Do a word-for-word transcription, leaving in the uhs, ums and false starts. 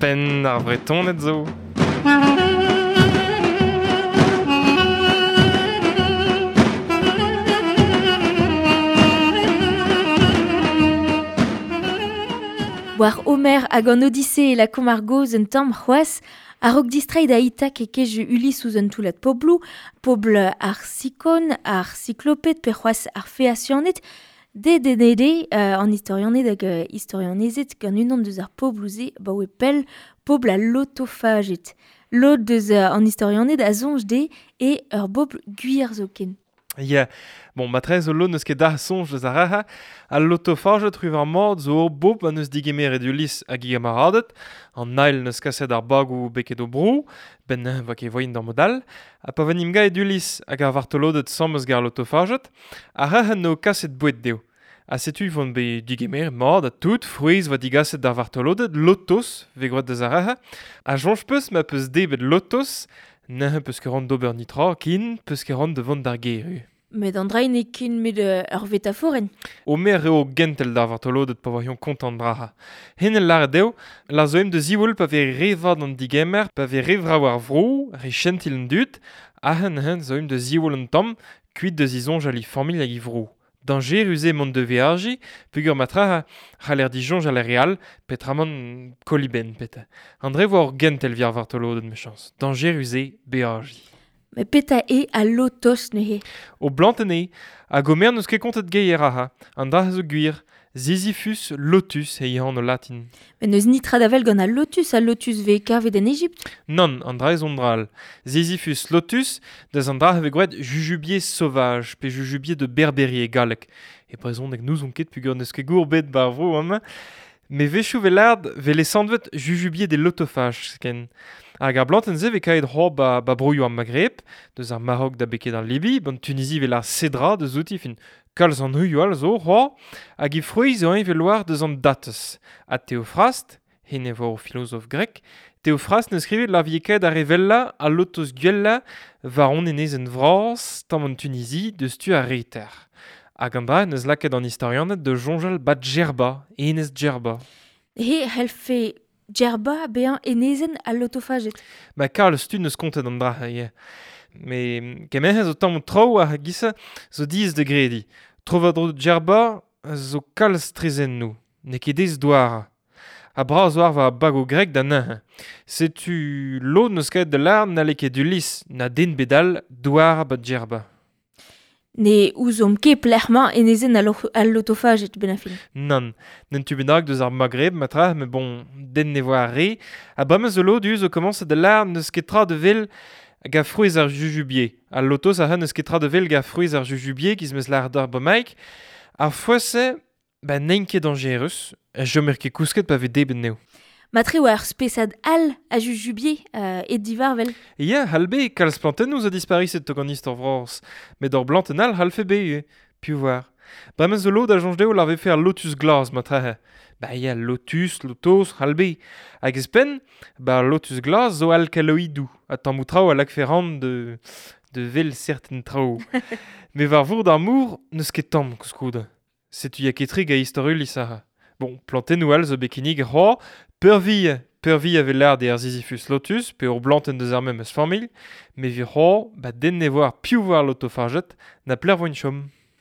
Penn ar Vretoned zo. War Homer hag an Odyssée e lakomp ar gaoz un tamm c'hoazh, a-raok distreiñ da Itak e kej Ulysse ouzh un toullad pobloù, pobl ar Sikon, ar Sikloped pe c'hoazh ar Feasianed, dedennet eo euh, an istorianed hag euh, istorianezed gant unan deus ar pobloù-se baoe pell, pobl al lotofaged. Lod deus euh, an istorianed a soñj dezhe e ur bobl gwir zoken. Ya, bon, matre zo lo n'eus ket da soñj deus ar raha, al lotofaged ruv ar mord zo ur bobl an eus digemeret Ulysse hag e gamaradet, an ail n'eus kaset ar bagou beket o bro, ben va ket voin d'ar modal, ha pa venim gaet Ulysse hag ar vartolodet samm eus gar lotofaged, ar raha n'eo kaset boued dezho. Ha setu vont be digemeret mord ha tout, frouezh va digaset d'ar vartolodet, lotos, ve groet deus ar raha, ha soñj peus ma peus debet lotos, Neuze peus ket ran d'ober nitra, kin peus ket ran de vont d'ar gêr. Met an dra n'eo ket met ur vetaforenn. Homer eo gentel d'ar vartolodet pa voion kontant braha. Hen el lâret dezho, la zo em de ziwall pa vez re vat an digemer, pa vez re vrav ar vro, re chentil an dud, ha hen hen zo em de ziwall an tamm, kuit de zizoñj al i familh hag i vro. Dañjerus eo mont de veajiñ, peogwir matra c'haller disoñj al re all, petramant kolibenn peta. An dre vo ur gentel vi ar vartolodet mechañs. Dañjerus eo beajiñ. Met petra eo al lotos neuze? O blantenn eo, hag Homer n'eus ket kontet geier aha. An dra zo gwir, Ziziphus lotus e anv latin. Met n'eus nitra da wel gant al lotus, al lotus vez kavet en Egipt? Nann, an dra ez on dra all. Ziziphus lotus, deus an dra vez gwraet jujubier sauvage, pe jujubier de Berberie e galleg. E brezhoneg n'ouzon ket peogwir n'eus ket gour bet bar vro amañ. Met wechoù vez lâret vez lesanvet jujubier des lotophages ken. Hag ar blantenn-se vez kaet c'hoazh ba, ba broioù ar Maghreb, deus ar Maroc da beket ar Libi, ban Tunisie vez lâret cédra deus outi fin kalz an heuioù all zo c'hoazh, hag e frouezh zo eñ vez loar deus an dates. Ha Théophraste, hen e vo ur filozof grek, Théophraste neus skrivet la vie kaet ar revella al lotos gwella war on enezenn vras tamm an Tunisie deus tu ar reter. Hag an dra neus lakaet an istorianed de soñjal bat Djerba, enez Djerba. He c'hellfe Djerba bezañ enezenn al lotofaged. Ma kalz tud neus kontet an dra, ya. Me kemerzh zo tamm traoù ar gisa zo diaes da grediñ. Tro war-dro Djerba zo kalz trezennoù, n'eo ket aes douarañ. Ha bras war va bago grek da neuze. Setu lod neus kaet da lâret n'halle ket Ulysse na den bedal douarañ bat Djerba. Ne ouzomp ket pelec'h-mañ enezenn al, al lotofaged ben a fin. Nann, n'en tu bennak deus ar Maghreb matra, met bon, den ne voa ar re. Ha bremañ zo lod zo komañset da lâret n'eus ket tra de vel hag a frouezh ar jujubier. Al lotos a n'eus ket tra de vel hag a frouezh ar jujubier giz meus lâret d'ar bremaik. Ar frouezh-se, ba n'int ket dañjerus, chomer ket kousket pa vez debet anezho. Matre oa ur spesad all a jujubier euh, e divarvel. Ya, halbe, kalz plantennoù zo dispariset tok an istor vras. Met ur blantenn all halfe be, eh, piv war. Bremañ zo lod a soñj dezho lar vefe ar lotus glas matre. Ba ya, lotus, lotos, halbe. Hag ez penn, ba lotus glas zo alkaloidoù, ha tammoù traoù a lakfe ran de, de vel certain traoù. Met war vourd ar mor, n'eus ket tamm koulskoude. Setu ya ket-tre ga istor Ulysse aha. Bon, plantennoù all zo bet kinnig c'hoazh, peurvi, peurvi a vez lâret eo ar Ziziphus lotus, pe ur blantenn deus ar memes familh, met vi c'hoazh, ba den ne voar piv war lotofaged, na pler voint chom.